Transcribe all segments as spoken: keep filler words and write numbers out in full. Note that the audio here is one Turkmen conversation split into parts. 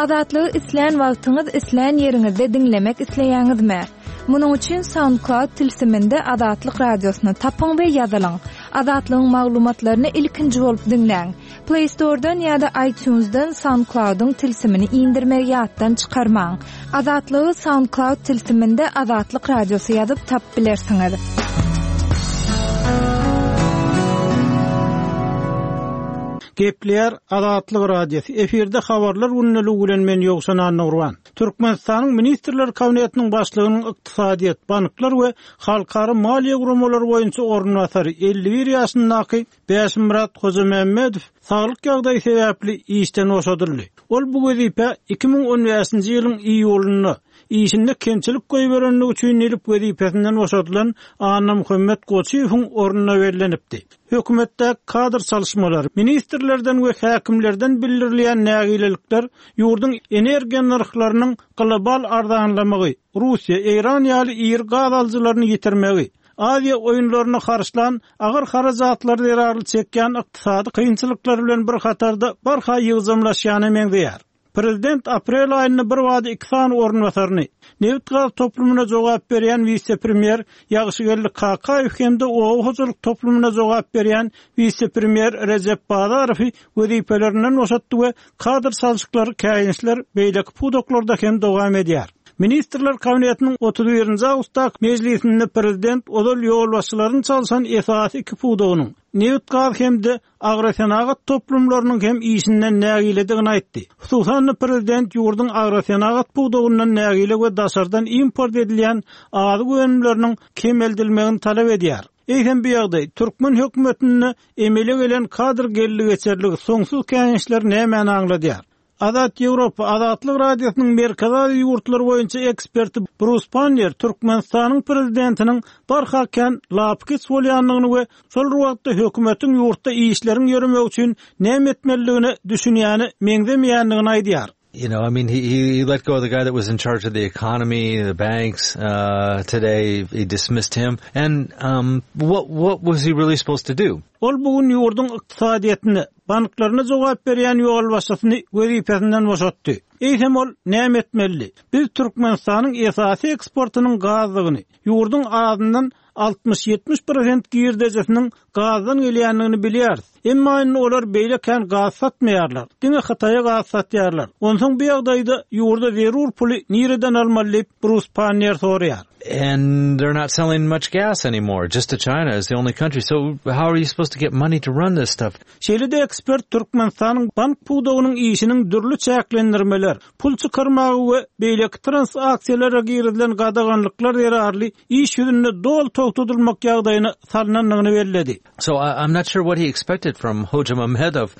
Azatlygy islän wagtyňyz, islän ýeriňizde diňlemek isleýäňizmi? Munuň üçin SoundCloud tilsiminde Azatlyk radiosyny tapyň we ýazylyň. Azatlygyň maglumatlaryny ilkinji bolup diňläň. Play Store'dan ýa-da iTunes'dan SoundCloud'yň tilsimini indirmegi ýatdan çykarmaň. Azatlygy SoundCloud tilsiminde Azatlyk radiosy ýazyp tapyp bilersiňiz. Gepleýär Azatlyk Radiosy. Efirde habarlar gündeligi bilen men Ýowşan Annagurban. Türkmenistanyň Ministrler Kabinetiniň başlygynyň ykdysadyýet, banklar we halkara maliýe guramalary boýunça orunbasary elli bir ýaşyndaky Bäşimyrat Hojamämmedow saglyk ýagdaýy sebäpli işden boşadyldy. Ol bu wezipe iki müň on bäşinji ýylyň iýulynda işinde kemçilik goýberenligi üçin diýlip wezipesinden boşadylan Annamuhammet Goçyýewiň ornuna bellenipdi. Hökümetde kadr çalışmalar, ministrlerden we häkimlerden bildirilýän nägilelikler ýurduň energiýa nyrhlarynyň global arzanlamagy, Russiýa, Eýran ýaly iri gaz alyjylaryny ýitirmegi, Aziýa oýunlaryny harçlan agyr harajatlar zerarly çekýän ykdysady kynçylyklar bilen bir hatarda barha ýygjamlaşýana meňzeýär. Prezident aprel aýynda bir wada iki sany orunbasaryny, nebit gaz toplumyna jogap berýän wise-premýer Ýagşygeldi Kakaýew hem-de oba hojalyk toplumyna jogap berýän wise-premýer Rejep Bazarowy wezipelerinden boşatdy we kadr çalşyklary käýinçler beýleki pudaklarda hem dowam edýär. Ministrler Kabinetiniň otuz birinji awgustdaky mejlisinde prezident ozal ýolbaşçylaryny çalşan esasy iki pudagynyň, nebit gaz hem-de agrosenagat toplumlarynyň hem işinden nägiledigini aýtdy. Hususan-da prezident ýurduň agrosenagat pudagyndan nägile we daşardan import edilýän azyk önümleriniň kemeldilmegini talap edýär. Eýsem bu ýagdaý türkmen hökümetinde emele gelen kadr geldi geçerligi soňsuz käňeşler nämäni aňladýar? Azat Ýewropa Azatlyk Radiosynyň Merkezi Aziýa ýurtlary boýunça eksperti Brus Pannier Türkmenistanyň prezidentiniň barha kän lapykeç bolýandygyny we şol bir wagtda hökümetiň ýurtda işleriň ýöremegi üçin näme etmelidigine düşünýäni meňzemeýändigini aýdýar. You know, I mean, he, he, he let go of the guy that was in charge of the economy, the banks, uh, today. He dismissed him. And, um, what, what was he really supposed to do? Ol bugün ýurduň ykdysadyýetine, banklaryna jogap berýän ýolbaşçysyny wezipesinden boşatdy. Eýsem ol näme etmeli? Biz Türkmenistanyň esasy eksportynyň gazdygyny, ýurduň azyndan altmyş ýetmiş prosent girdejesiniň gazdan gelýändigini bilýäris. Emma indi olar beýle kän gaz satmaýarlar. Diňe Hytaýa gaz satýarlar. Onsoň bu ýagdaýda ýurda zerur puly nireden almaly diýip Brus Pannier soraýar. And they're not selling much gas anymore. Just to China is the only country. So how are you supposed to get money to run this stuff? Şeýle-de ekspert Türkmenistanyň bank pudagynyň işiniň dürli çäklendirmeler, pul çykarmagy we beýleki transaksiýalara girizilen gadaganlyklar zerarly iş ýüzünde doly togtadylmak ýagdaýyna salnandygyny belledi. So I, I'm not sure what he expected from Hojamuhammedov,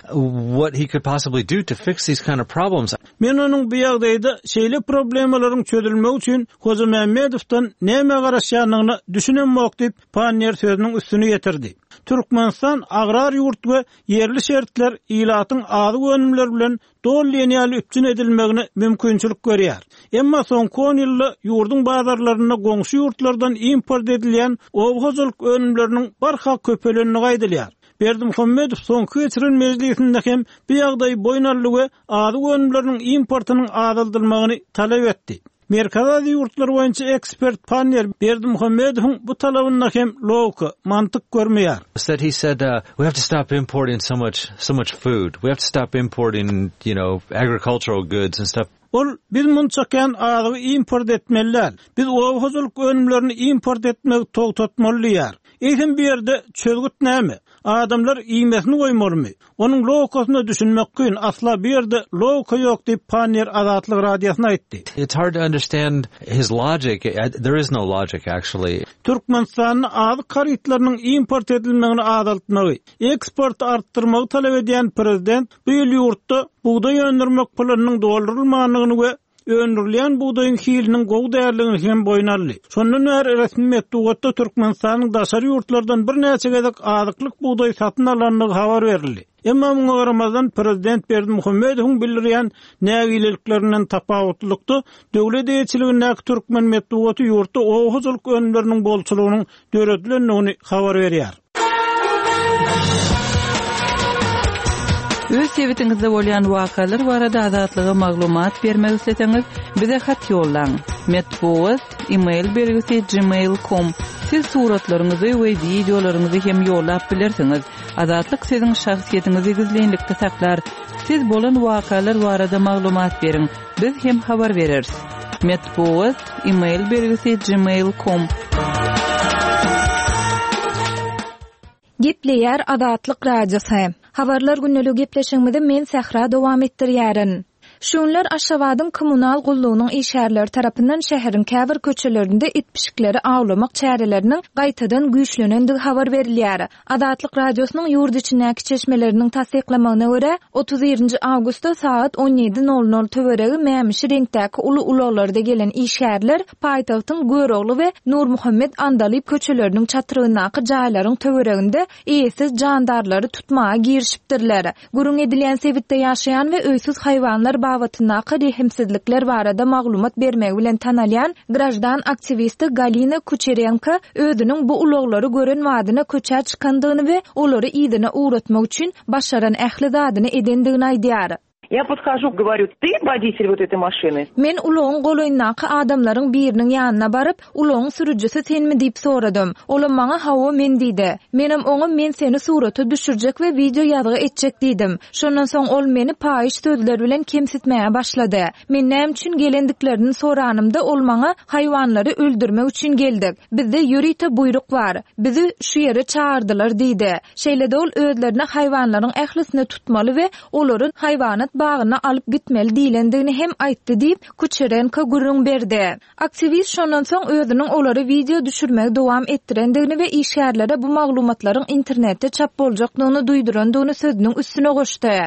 what he could possibly do to fix these kind of problems. Men onuň bu ýagdaýda şeýle problemalaryň çözülmegi üçin Hojamuhammedowdan näme garaşýandygyna düşünemok diýip Pannier sözüniň üstüni getirdi. Türkmenistan agrar ýurt we ýerli şertler ilatyň azyk önümleri bilen doly diýen ýaly üpjün edilmegine mümkinçilik görýär. Emma soňky on ýylda ýurduň bazarlarynda goňşy ýurtlardan import edilýän oba hojalyk önümleriniň barha köpelendigi aýdylýar. Berdimuhamedow soňky geçiren mejlisinde hem bu ýagdaýy boýun aldy we azyk önümleriniň importynyň azaldylmagyny talap etdi. Merkezi Aziýa ýurtlary boýunça ekspert Pannier Berdimuhamedowyň bu talabynda hem logika, mantyk görmeýär. Said he said, uh, we have to stop importing so much, so much food. We have to stop importing, you know, agricultural goods and stuff. Ol biz munça kän azygy import etmeli däl. Biz oba hojalyk önümlerini import etmegi togtatmaly diýär. Eýsem bu ýerde çözgüt näme? Adamlar iýmesini goýmalymy? Onuň logikasyna düşünmek kyn, asla bu ýerde logika ýok diýip Pannier Azatlyk Radiosyna aýtdy. It's hard to understand his logic. There is no logic actually. Türkmenistanda azyk harytlarynyň import edilmegini azaltmagy, eksporty artdyrmagy talap edýän prezident bu ýyl ýurtda bugdaý öndürmek planynyň doldurylmandygyny we öndürilýän bugdaýyň hiliniň gowy däldigini hem boýun aldy. Şondan bäri resmi metbugatda Türkmenistanyň daşary ýurtlardan birnäçe gezek azyklyk bugdaý satyn alandygy habar berildi. Emma muňa garamazdan prezident Berdimuhamedowyň bildirýän nägileliklerinden tapawutlylykda döwlet eýeçiligindäki türkmen metbugaty ýurtda oba hojalyk önümleriniň bolçulygynyň döredilendigini habar berýär. Öz sebitiňizde bolýan wakalar barada Azatlyga maglumat bermek isleseňiz, bize hat ýollaň. Metbugat, e-mail belgisi gmail nokta com. Siz suratlaryňyzy we wideolaryňyzy hem ýollap bilersiňiz. Azatlyk siziň şahsyýetiňizi gizlinlikde saklar. Siz bolan wakalar barada maglumat beriň. Biz hem habar bereris. Metbugat, e-mail belgisi gmail nokta com. Gepleýär Azatlyk Radiosy. Habarlar gündeligi gepleşigimizi men Sähra dowam etdirýärin. Şu günler Aşgabadyň kommunal gullugynyň işgärleri tarapyndan şäheriň käbir köçelerinde it pişikleri awlamak çäreleriniň gaýtadan güýçlenendigi habar berilýär. Azatlyk Radiosynyň ýurt içindäki çeşmeleriniň tassyklamagyna görä, otuz birinji awgustda sagat on ýedi nol nol töweregi mämişi reňkdäki uly ulaglarda gelen işgärler paýtagtyň Görogly we Nurmuhammet Andalyp köçeleriniň çatrygyndaky jaýlaryň töwereginde eýesiz jandarlary tutmaga girişipdirler. Gürrüň edilýän sebitde ýaşaýan we öýsüz haýwanlar babatyndaky rehimsizlikler barada maglumat bermegi bilen tanalýan graždan aktiwisti Galina Kuçerenko özüniň bu ulaglary gören badyna köçä çykandygyny we olary yzyna ugratmak üçin başaran ähli zadyny edendigini aýdýar. Я подхожу, говорю, ты водитель вот этой машины? Men ulagyň golaýyndaky adamlaryň biriniň ýanyna baryp, ulagyň sürüjisi senmi diýip soradym. Olam maňa hawa men diýdi. Menem oňa men seni surata düşürjek we wideo ýazgy etjek diýdim. Şondan soň ol meni paýyş sözler bilen kemsitmäge başlady. Men näme üçin gelendiklerini soranymda ol maňa haýwanlary öldürmek üçin geldik. Bizde ýörite buýruk bar. Bizi şu ýere çağırdylar diýdi. Şeýle-de ol özlerine haýwanlaryň ählisini tutmaly we olary haýwanat bagyna alyp gitmeli diýlendigini hem aýtdy diýip Kuçerenko gürrüň berdi. Aktiwist şondan soň özüniň olary wideo düşürmegi dowam etdirendigini we işgärlere bu maglumatlaryň internetde çap boljakdygyny duýdurandygyny sözüniň üstüne goşdy.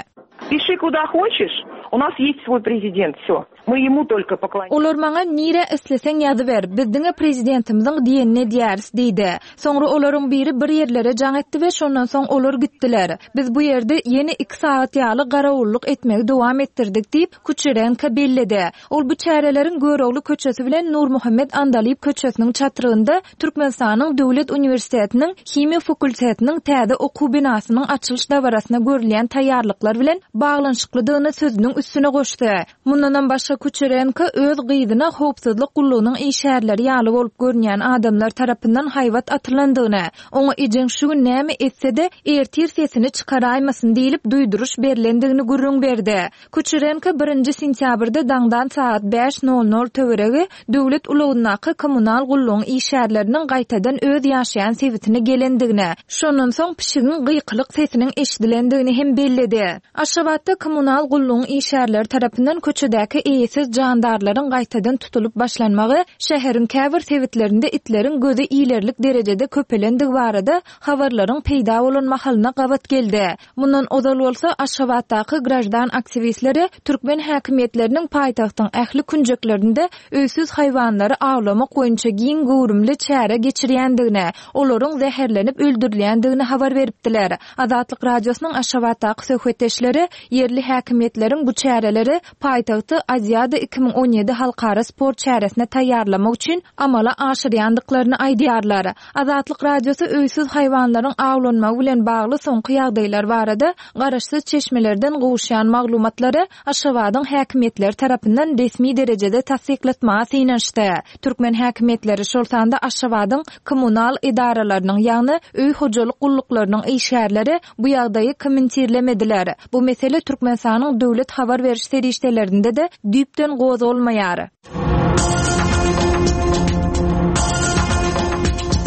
Пиши куда хочешь. У нас есть свой президент, все. Мы ему только поклоняемся. Olar maňa nire isleseň ýazyber, biz diňe prezidentimiziň diýenini edýäris diýdi. Soňra olaryň biri bir ýerlere jaň etdi we şondan soň olar gitdiler. Biz bu ýerde ýene iki sagat ýaly garawullyk etmegi dowam etdirdik diýip Kuçerenko belledi. Ol bu çäreleriň Görogly köçesi bilen Nurmuhammet Andalyp köçesiniň çatrygynda Türkmenistanyň Döwlet uniwersitetiniň himiýa fakultetiniň täze okuw binasynyň açylyş dabarasyna görülýän taýýarlyklar bilen baglanyşyklydygyny sözüniň üstüne goşdy. Mundanam başga Kuçerenko öz gyzyna howpsuzlyk gullugynyň işgärleri ýaly bolup görünýän adamlar tarapyndan haýbat atylandygyny, oňa ejeň şu gün näme etse-de ertir sesini çykaraýmasyn diýilip duýduryş berlendigini gürrüň berdi. Kuçerenko birinji sentýabrda daňdan sagat bäş nol nol töweregi döwlet ulagyndaky kommunal gullugyň işgärleriniň gaýtadan öz ýaşaýan sebitine gelendigini, şondan soň pişigiň gykylyk sesiniň eşidilendigini hem belledi. Aşgabatda kommunal gullugyň işgärleri tarapyndan köçedäki eýesiz jandarlaryň gaýtadan tutulyp başlanmagy şäheriň käbir sebitlerinde itleriň gözi ilerlik derejede köpelendigi barada habarlaryň peýda bolan mahalyna gabat geldi. Mundan ozal bolsa Aşgabatdaky graždan aktiwistleri türkmen häkimiýetleriniň paýtagtyň ähli künjeklerinde öýsüz haýwanlary awlamak boýunça giň göwrümli çäre geçirýändigini, olaryň zäherlenip öldürilýändigini habar beripdiler. Azatlyk Radiosynyň Aşgabatdaky söhbetdeşleri ýerli häkimiýetleriň bu çäreleri paýtagty Aziada iki müň on ýedi halkara sport çäresine taýýarlamak üçin amala aşyrýandyklaryny aýdýarlar. Azatlyk Radiosy öýsüz haýwanlaryň awlanmagy bilen bagly soňky ýagdaýlar barada garaşsyz çeşmelerden gowuşýan maglumatlary Aşgabadyň häkimiýetleri tarapyndan resmi derejede tassyklatmaga synanyşdy. Türkmen häkimiýetleri, şol sanda Aşgabadyň kommunal edaralarynyň, ýagny öý hojalyk gulluklarynyň işgärleri bu ýagdaýy kommentirlemediler. Bu mesele Türkmenistanyň döwlet habar beriş serişdelerinde de düýpden gozgalmaýar.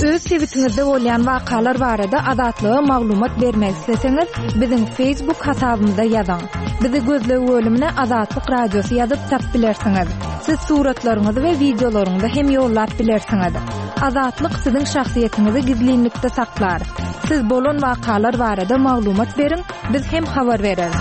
Öz sebitiňizde bolýan wakalar barada Azatlyga maglumat bermek isleseňiz, biziň Facebook hasabymyza ýazyň. Bizi gözleg bölümine Azatlyk Radiosy ýazyp tap bilersiňiz. Siz suratlaryňyzy we wideolaryňyzy hem ýollap bilersiňiz. Azatlyk siziň şahsyýetiňizi gizlinlikde saklar. Siz bolan wakalar barada maglumat beriň, biz hem habar bereris.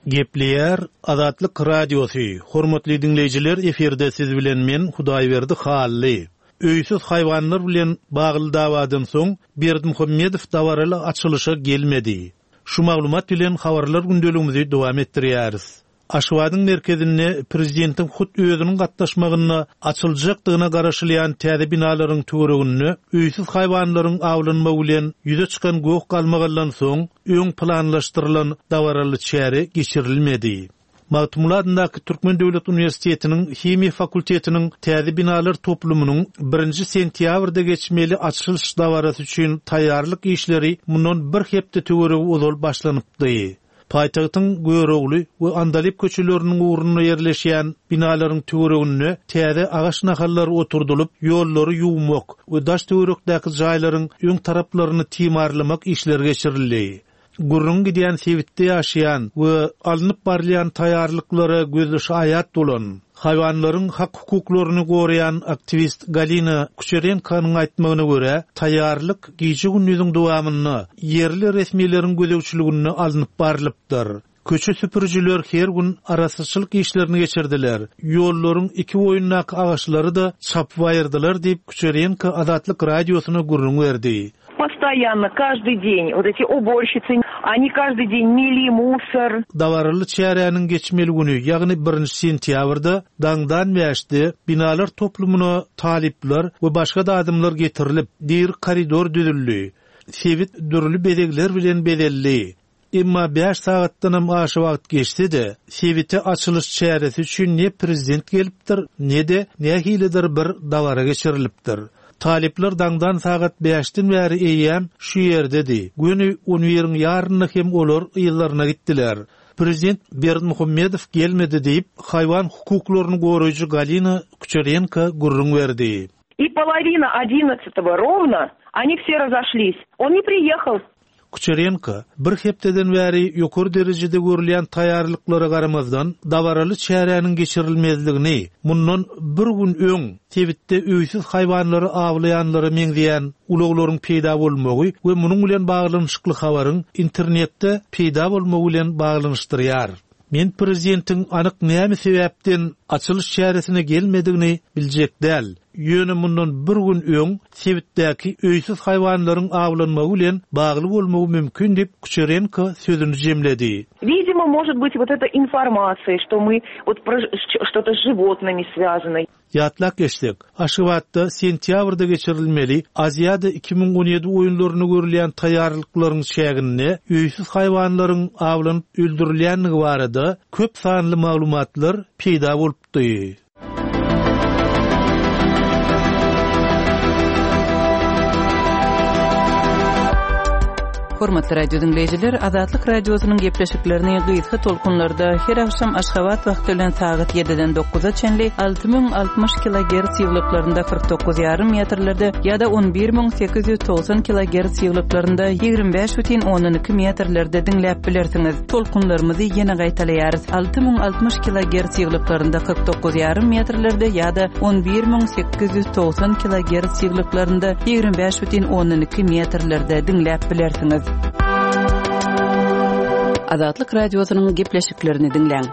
Gepleýär Azatlyk Radiosy. Hormatly dinleýjiler, efirde siz bilen men Hudaýberdi Hally. Öýsüz haýwanlar bilen bagly dawadan soň Berdimuhamedow dabaraly açylyşa gelmedi. Şu maglumat bilen habarlar gündeligimizi dowam etdirýäris. Aşgabadyň merkezinde prezidentiň hut özüniň gatnaşmagynda açyljakdygyna garaşylýan täze binalaryň töwereginde öýsüz haýwanlaryň awlanmagy bilen ýüze çykan goh-galmagaldan soň öň planlaşdyrylan dabaraly çäre geçirilmedi. Magtymguly adyndaky Türkmen döwlet uniwersitetiniň himiýa fakultetiniň täze binalar toplumynyň birinji sentýabrda geçmeli açylyş dabarasy üçin taýýarlyk işleri mundan bir hepde töweregi ozal başlanypdy. Paýtagtyň Görogly we Andalyp köçeleriniň ugrunda ýerleşýän binalaryň töwereginde täze agaç nahallary oturdylyp, ýollary ýuwmak we daş töwerekdäki jaýlaryň öň taraplaryny timarlamak işleri geçirildi. Gürrüň gidýän sebitde ýaşaýan we alnyp barylýan taýýarlyklara gözli şaýat bolan, haýwanlaryň hak-hukuklaryny goraýan aktiwist Galina Kuçerenkonyň aýtmagyna görä, taýýarlyk gije-gündiziň dowamynda ýerli resmileriň gözegçiliginde alnyp barylypdyr. Köçe süpürjiler her gün arassaçylyk işlerini geçirdiler. Ýollaryň iki boýundaky agaçlary-da çapyp aýyrdylar diýip Kuçerenko Azatlyk radiosyna gürrüň berdi. Постоянно, каждый день, вот эти уборщицы, они каждый день мели мусор. Dabaraly çäräniň geçmeli güni, ýagny birinji sentýabrda daňdan bäşde binalar toplumyna talyplar we başga-da adamlar getirilip, diri koridor düzüldi. Sebit dürli bezegler bilen bezeldi. Emma bäş sagatdanam aşa wagt geçse-de, sebite açylyş çäresi üçin ne prezident gelipdir, ne-de nähilidir bir dabara geçirilipdir. Talyplar daňdan sagat bäşden bäri eýýäm şu ýerdedi. Göni on biriň ýarynda hem olar yzlaryna gitdiler. Prezident Berdimuhamedow gelmedi diýip, haýwan hukuklaryny goraýjy Galina Kuçerenko gürrüň berdi. И половина одиннадцатого ровно они все разошлись. Он не приехал. Kuçerenko bir hepdeden bäri ýokary derejede görülýän taýýarlyklara garamazdan dabaraly çäräniň geçirilmezligini, mundan bir gün öň sebitde öýsüz haýwanlary awlaýanlara meňzeýän ulaglaryň peýda bolmagy we munuň bilen baglanyşykly habaryň internetde peýda bolmagy bilen baglanyşdyrýar. Men prezidentiň anyk näme sebäpden açylyş çäresine gelmedigini biljek däl. Ýöne mundan bir gün öň sebitdäki öýsüz haýwanlaryň awlanmagy bilen bagly bolmagy mümkin diýip Kuçerenko sözüni jemledi. Видимо, может быть, вот эта информация, что мы вот про ж-, что-то с животными связано. Ýatlak geçsek, Aşgabatda sentýabrda geçirilmeli Aziýada iki müň on ýedi oýunlaryny görülýän taýýarlyklaryň çäginde öýsüz haýwanlaryň awlanyp öldürilýänligi barada köp sanly maglumatlar peýda bolupdy. Hormatly radio dinleýjiler, Azatlyk radiosynyň gepleşiklerini gysga tolkunlarda her akşam Aşgabat wagty bilen sagat ýediden dokuza çenli alty müň altmyş kilogertz ýyglyklarynda kyrk dokuz ýarym metrlerde ýa-da on bir müň sekiz ýüz togsan kilogertz ýyglyklarynda ýigrimi bäş bütin ondan iki metrlerde diňläp bilersiňiz. Tolkunlarymyzy ýene gaýtalaýarys. Alty müň altmyş kilogertz ýyglyklarynda kyrk dokuz ýarym metrlerde ýa-da on bir müň sekiz ýüz togsan kilogertz ýyglyklarynda ýigrimi bäş bütin ondan iki metrlerde diňläp bilersiňiz. Azatlyk radiosynyň gepleşiklerini diňläň.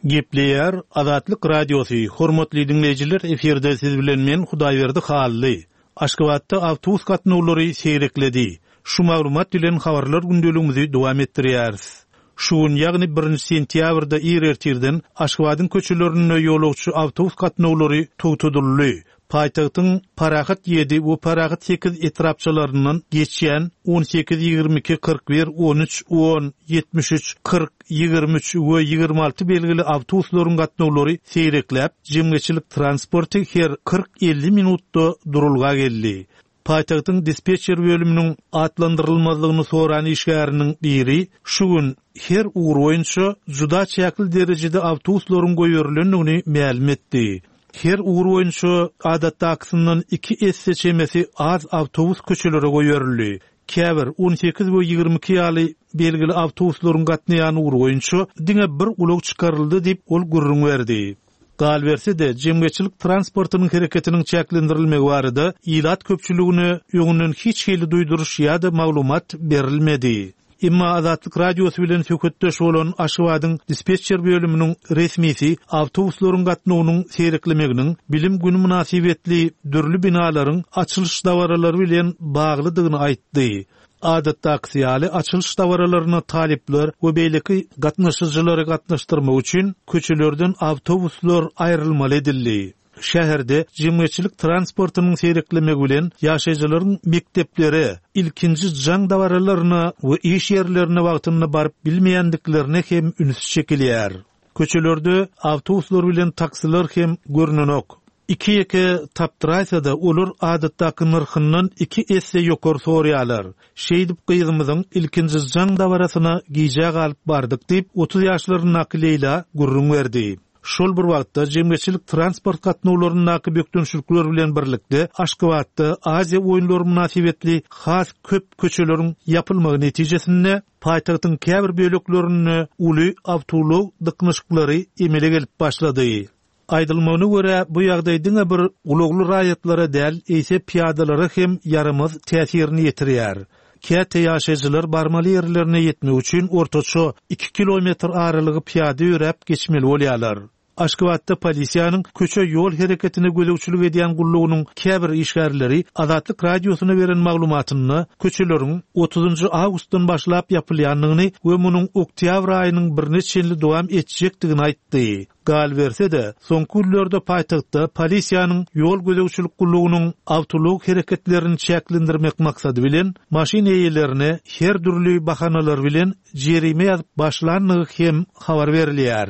Gepleýär Azatlyk radiosy. Hormatly dinleýjiler, efirde siz bilen men Hudaýberdi Hally. Aşgabatda awtobus gatnawlary seýrekledi. Şu maglumat bilen habarlar gündeligimizi dowam etdirýäris. Şu gün, ýagny birinji sentýabrda ir ertirden Aşgabadyň köçelerinde ýolagçy awtobus gatnawlary togtadyldy. Paýtagtyň Parahat ýedi we Parahat sekiz etrapçalaryndan geçýän on sekiz, ýigrimi iki, kyrk bir, on üç, on, ýetmiş üç, kyrk, ýigrimi üç we ýigrimi alty belgili awtobuslaryň gatnawlary seýrekläp, jemgyýetçilik transporty her kyrk elli minutda durulga geldi. Paýtagtyň dispetçer bölüminiň atlandyrylmazlygyny soran işgäriniň biri şu gün her ugur boýunça juda çäkli derejede awtobuslaryň goýberilendigini mälim etdi. Her ugur boýunça adatdakysyndan iki esse çemesi az awtobus köçelere goýberildi. Käbir on sekiz we ýigrimi iki ýaly belgili awtobuslaryň gatnaýan ugur boýunça diňe bir ulag çykaryldy diýip ol gürrüň berdi. Galberse-de jemgyýetçilik transportynyň hereketiniň çäklendirilmegi barada ilat köpçüligine öňünden hiç hili duýduryş ýa-da maglumat berilmedi. Emma Azatlyk Radiosy bilen söhbetdeş bolan Aşgabadyň dispetçer bölüminiň resmisi awtobuslaryň gatnawynyň seýreklemeginiň bilim günü mynasybetli dürli binalaryň açylyş dabaralary bilen baglydygyny aýtdy. Adatdaky ýaly açylyş dabaralaryna talyplar we beýleki gatnaşyjylary gatnaşdyrmak üçin köçelerden awtobuslar aýrylmaly edildi. Şäherde jemgyýetçilik transportynyň seýreklemegi bilen ýaşaýjylaryň mekdeplere, ilkinji jaň dabaralaryna we iş ýerlerine wagtynda baryp bilmeýändiklerine hem üns çekilýär. Köçelerde awtobuslar bilen taksiler hem görünenok. Iki ýeke tapdyraýsa-da olar adatdaky nyrhyndan iki esse ýokary sorýarlar. Şeýdip gyzymyzyň ilkinji jaň dabarasyna gijä galyp bardyk diýip otuz ýaşlaryndaky Leýla gürrüň berdi. Şol bir wagtda jemgyýetçilik transport gatnawlaryndaky bökdençlikler bilen birlikde Aşgabatda Aziýa oýunlary mynasybetli has köp köçeleriň ýapylmagy netijesinde paýtagtyň käbir böleklerinde uly awtoulag dyknyşyklary emele gelip başlady. Aýdylmagyna görä bu ýagdaý diňe bir ulagly raýatlara däl, eýse piýadalara hem ýaramaz täsirini ýetirýär. Käte ýaşaýjylar barmaly ýerlerine ýetmek üçin ortaça iki kilometr aralygy piýada ýöräp geçmeli bolýarlar. Aşgabatda polisiýanyň köçe ýol hereketine gözegçilik edýän gullugynyň käbir işgärleri Azatlyk Radiosyna beren maglumatynda köçeleriň otuzynjy awgustdan başlap ýapylýandygyny we munuň oktýabr aýynyň birine çenli dowam etjekdigini aýtdy. Galberse-de, soňky günlerde paýtagtda polisiýanyň ýol gözegçilik gullugynyň awtoulag hereketlerini çäklendirmek maksady bilen maşyn eýelerine her dürli bahanalar bilen jerime ýazyp başlandygy hem habar berilýär.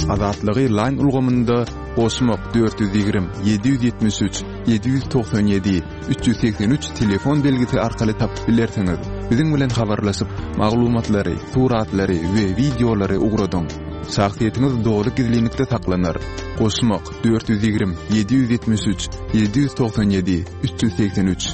Azatlygy Line ulgamynda goşmak dört ýüz ýigrimi, ýedi ýüz ýetmiş üç, ýedi ýüz togsan ýedi, üç ýüz segsen üç telefon belgisi arkaly tapyp bilersiňiz. Biziň bilen habarlaşyp, maglumatlary, suratlary we wideolary ugradyň. Şahsyýetiňiz doly gizlinlikde saklanar. Goşmak dört ýüz ýigrimi, ýedi ýüz ýetmiş üç, ýedi ýüz togsan ýedi, üç ýüz segsen üç.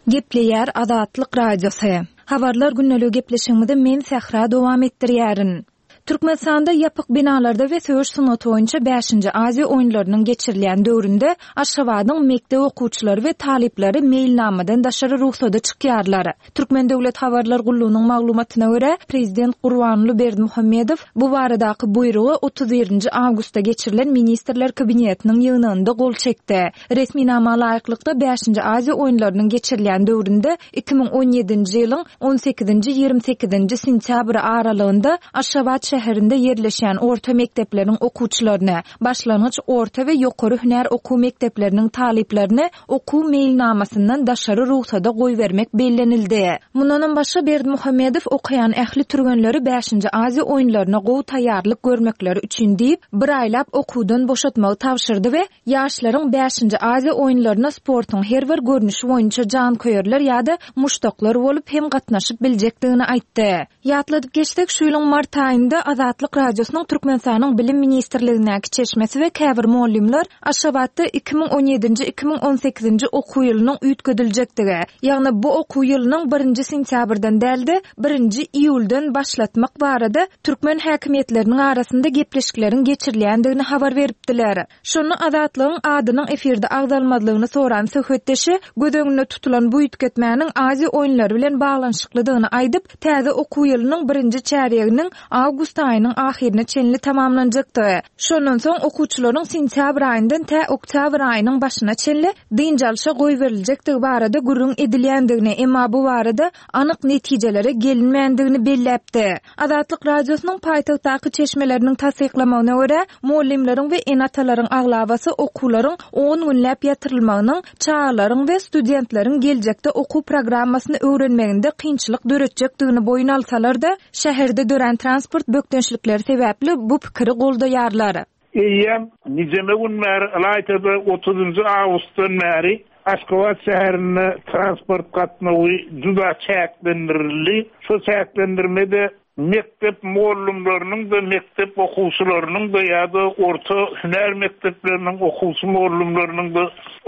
Gepleýär Azatlyk Radiosy. Habarlar günlügi gepleşigimizi men Sähra dowam etdirýärin. Türkmenistanda ýapyk binalarda we söweş sungaty boýunça bäşinji Aziýa oýunlarynyň geçirilýän döwründe Aşgabadyň mekdep okuwçylary we talyplary meýilnamadan daşary rugsada çykýarlar. Türkmen Döwlet Habarlar Gullugynyň maglumatyna görä, Prezident Gurbanguly Berdimuhamedow bu baradaky buýrugy otuz birinji awgustda geçirilen Ministrler Kabinetiniň ýygnagynda gol çekdi. Resminama laýyklykda bäşinji Aziýa oýunlarynyň geçirilýän döwründe iki müň on ýedinji ýylyň on sekizinji ýigrimi sekizinji sentýabr aralygynda Aşgabat şäherinde ýerleşýän orta mekdepleriň okuwçylaryny, başlangyç orta we ýokary hünär okuw mekdepleriniň talyplaryny okuw meýilnamasyndan daşary rugsada goýbermek bellenildi. Mundanam başga Berdimuhamedow okaýan ähli türgenleri bäşinji Aziýa oýunlaryna gowy taýýarlyk görmekleri üçin diýip, bir aýlap okuwdan boşatmagy tabşyrdy we ýaşlaryň bäşinji Aziýa oýunlaryna sportuň her bir görnüşi boýunça janköýerler ýa-da muşdaklar bolup hem gatnaşyp biljekdigini aýtdy. Ýatladyp geçsek, şu ýylyň mart aýynda Azatlyk Radiosynyň Türkmenistanyň Bilim Ministrligindäki çeşmesi we käbir mugallymlar Aşgabatda iki müň on ýedinji iki müň on sekizinji okuw ýylynyň üýtgediljekdigi, ýagny bu okuw ýylynyň birinji sentýabrdan däl-de birinji iýuldan başlatmak barada türkmen häkimiýetleriniň arasynda gepleşikleriň geçirilýändigini habar beripdiler. Şonda Azatlygyň adynyň efirde agzalmazlygyny soran söhbetdeşi göz öňünde tutulan bu üýtgetmäniň Aziýa oýunlary bilen baglanyşyklydygyny aýdyp, täze okuw ýylynyň birinji çärýeginiň awgust aýynyň ahyryna çenli tamamlanjakdy. Şondan soň okuwçylaryň sentýabr aýyndan tä oktýabr aýynyň başyna çenli dynç alşa goýberiljekdigi barada gürrüň edilýändigini, emma bu barada anyk netijelere gelinmändigini belläpdi. Azatlyk Radiosynyň paýtagtdaky çeşmeleriniň tassyklamagyna görä, mugallymlaryň we ene-atalaryň aglabasy okuwlaryň on günläp ýatyrylmagynyň çagalaryň we studentleriň geljekde okuw programmasyny öwrenmeginde kynçylyk döretjekdigini boýun alsalar-da, şäherde dörän transport bökdençlikleri sebäpli bu pikiri goldaýarlar. Eýýäm nijeme gün bäri Ylaýtada otuzynjy awgustdan bäri Aşgabat şäherinde transport gatnawy juda çäklendirildi. Şu çäklendirmede mekdep mugallymlarynyň da mekdep okuwçylarynyň da ýa-da orta hünär mekdepleriniň okuwçy mugallymlarynyň da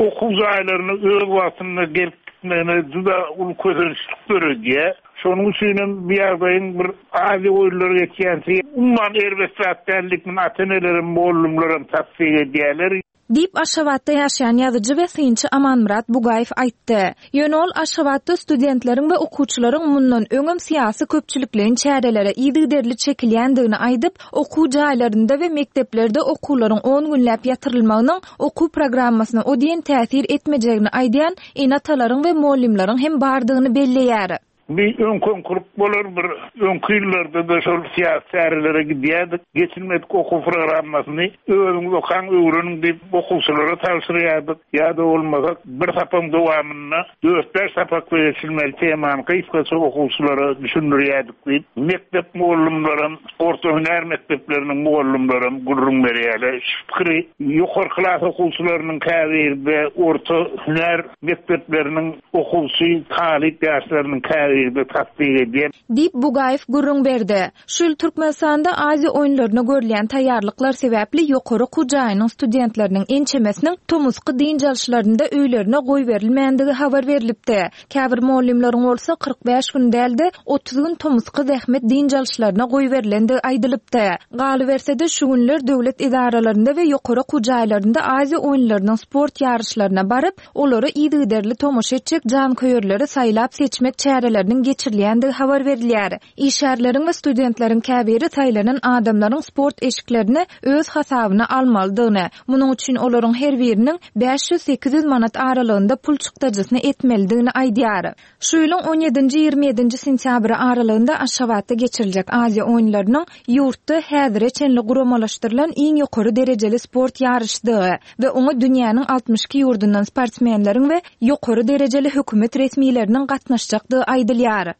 okuw jaýlaryna öz wagtynda gelip gitmegine juda uly kösençlik döredýär. Şonuň üçin hem bu ýagdaýyň bir Aziýa oýunlary geçýänçä umuman erbet zat däldigini ata-enelerim, mugallymlarym tassyk edýärler. Diýip, Aşgabatda ýaşaýan ýazyjy we synçy Amanmyrat Bugaýew aýtdy. Ýöne ol Aşgabatda studentleriň we okuwçylaryň mundan öňem syýasy köpçülikleýin çärelere yzygiderli çekilýändigini aýdyp, okuw jaýlarynda we mekdeplerde okuwlaryň on günläp ýatyrylmagynyň okuw programmasyna o diýen täsir etmejegini aýdýan ene-atalaryň we mugallymlaryň hem bardygyny belleýär. Bir öňküňkürük bolar, bir öňki ýyllarda-da şol syýasy çärelere gidýärdik. Geçilmedik okuw programmasyny özüňiz okaň, öwreniň diýip okuwçylara tabşyrýardyk. Ýa-da bolmasa bir sapagyň dowamynda dört-bäş sapakda geçilmeli temany gysgaça okuwçylara düşündirýärdik diýip, mekdep mugallymlaram, orta hünär mekdepleriniň mugallymlaram gürrüň berýärler. Şu pikiri ýokary klas okuwçylarynyň käbirde orta hünär mekdepleriniň okuwçy talyp ýaşlarynyň käbirde tassyk edýär. Diýip, Bugaýew gürrüň berdi. Şu ýyl Türkmenistanda Aziýa oýunlaryna görülýän taýýarlyklar sebäpli ýokary okuw jaýynyň studentleriniň ençemesiniň tomusky dynç alyşlarynda öýlerine goýberilmändigi habar berilipdi. Käbir mugallymlaryň bolsa kyrk bäş gün däl-de otuz gün tomusky zähmet dynç alyşlaryna goýberilendigi aýdylypdy. Galyberse-de şu günler döwlet edaralarynda we ýokary okuw jaýlarynda Aziýa oýunlarynyň sport ýaryşlaryna baryp, olara yzygiderli tomaşa etjek janköýerleri saýlap seçmek çäreleriniň geçirilýändigi habar berilýär. Işgärleriň we studentleriň käbiri saýlanan adamlaryň sport eşiklerini öz hasabyna almalydygyny, munuň üçin olaryň her biriniň bäş ýüz sekiz ýüz manat aralygynda pul çykdajysyny etmelidigini aýdýar. Şu ýylyň on ýedinji ýigrimi ýedinji sentýabry aralygynda Aşgabatda geçiriljek Aziýa oýunlarynyň ýurtda häzire çenli guramalaşdyrylan iň ýokary derejeli sport ýaryşydygy we oňa dünýäniň altmyş iki ýurdundan sportsmenleriň we ýokary derejeli hökümet resmileriniň gatnaşjakdygy aýdylýar.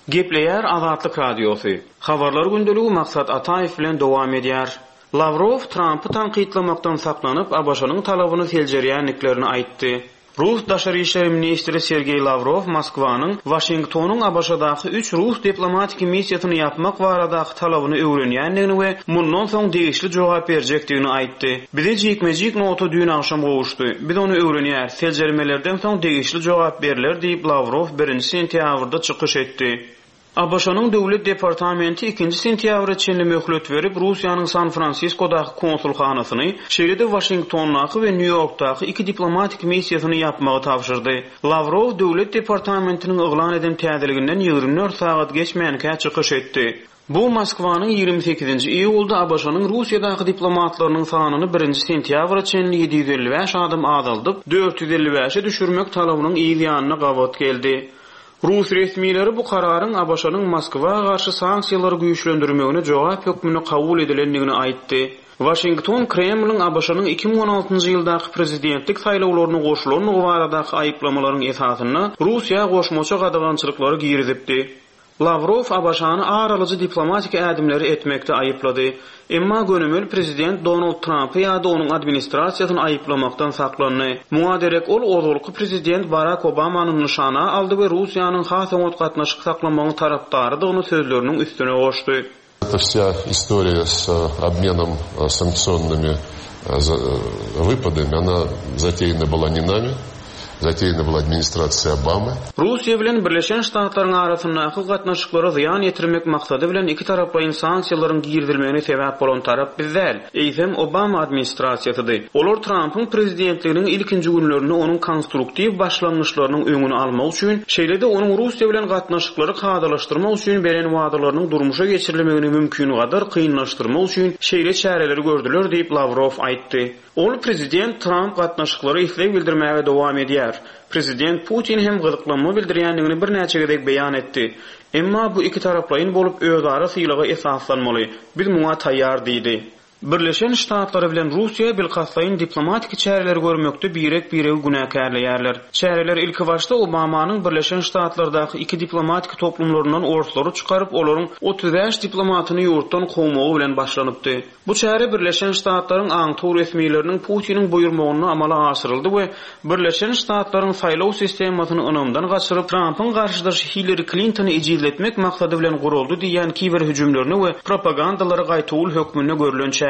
Gepleýär Azatlyk Radiosy. Habarlar gündeligi Maksat Ataýew bilen dowam edýär. Lawrow Trampy tankytlamakdan saklanyp, ABŞ-nyň talabyny seljerýändiklerini aýtdy. Rus daşary işler ministri Sergeý Lawrow Moskwanyň Waşingtonyň ABŞ-daky üç rus diplomatiki missiýasyny ýapmak baradaky talabyny öwrenýändigini we mundan soň degişli jogap berjekdigini aýtdy. Bize jikme-jik nota düýn agşam gowuşdy. Biz ony öwrenýäris. Seljermelerden soň degişli jogap berler diýip Lawrow birinji sentýabrda çykyş etdi. ABŞ-nyň Döwlet departamenti ikinji sentýabra çenli möhlet berip, Russiýanyň San Fransiskodaky konsulhanasyny, şeýle-de Waşingtondaky we Nýu-Ýorkdaky iki diplomatik missiýasyny ýapmagy tabşyrdy. Lawrow Döwlet departamentiniň yglan eden täzeliginden ýigrimi dört sagat geçmänkä çykyş etdi. Bu Moskwanyň ýigrimi sekizinji iýulda ABŞ-nyň Russiýadaky diplomatlarynyň sanyny birinji sentýabra çenli ýedi ýüz elli bäş adam azaldyp, dört ýüz elli bäşe düşürmek talabynyň yz ýanyna gabat geldi. Rus resmileri bu kararyň ABŞ-nyň Moskwa garşy sanksiýalary güýçlendirmegine jogap hökmünde kabul edilendigini aýtdy. Waşington Kremliň ABŞ-nyň iki müň on altynjy ýyldaky prezidentlik saýlawlaryna goşulandygy baradaky aýyplamalaryň esasynda Russiýa goşmaça gadagançylyklary girizipdi. Lawrow ABŞ-ny aralyjy diplomatik ädimleri etmekde aýyplady. Emma gönümel prezident Donald Trumpy ýa-da onuň administrasiýasyny aýyplamakdan saklandy. Muňa derek ol ozalky prezident Barak Obamany nyşana aldy we Russiýanyň has oňat gatnaşyk saklamagyň tarapdarydygyny sözleriniň üstüne goşdy. Это вся история с обменом санкционными выпадами, она затеяна была не нами, затеяна была администрация Обамы. Russiýa bilen Birleşen Ştatlaryň arasyndaky gatnaşyklara zyýan ýetirmek maksady bilen iki taraplaýyn sanksiýalaryň girizilmegine sebäp bolan tarap biz däl, eýsem Obama administrasiýasydy. Olar Trumpyň prezidentliginiň ilkinji günlerinde onuň konstruktiw başlangyçlarynyň öňüni almak üçin, şeýle-de onuň Russiýa bilen gatnaşyklary kadalaşdyrmak üçin beren wadalarynyň durmuşa geçirilmegini mümkin gadar kynlaşdyrmak üçin şeýle çäreleri gördüler diýip Lawrow aýtdy. Ol prezident Trump gatnaşyklary isleg bildirmäge dowam edýär. Prezident Putin hem gyzyklanma bildirýändigini birnäçe gezek beýan etdi. Emma bu iki taraplaýyn bolup özara sylaga esaslanmaly. Biz muňa taýýar diýdi. Birleşen Ştatlary bilen Russiýa bilkastlaýyn diplomatik çäreleri görmekde birek-biregi günäkärleýärler. Çäreler ilki başda Obamanyň Birleşen Ştatlardaky iki diplomatik toplumlaryndan orslary çykaryp, olaryň otuz bäş diplomatyny ýurtdan kowmagy bilen başlanypdy. Bu çäre Birleşen Ştatlaryň aňtaw resmileriniň Putiniň buýurmagynda amala aşyryldy we Birleşen Ştatlaryň saýlaw sistemasyny ynamdan gaçyryp, Trumpyň garşydaşy Hillary Clintony ejizletmek maksady bilen guruldy diýen kiber hüjümlerini we propagandalary gaýtawul hökmünde görülen çäredi.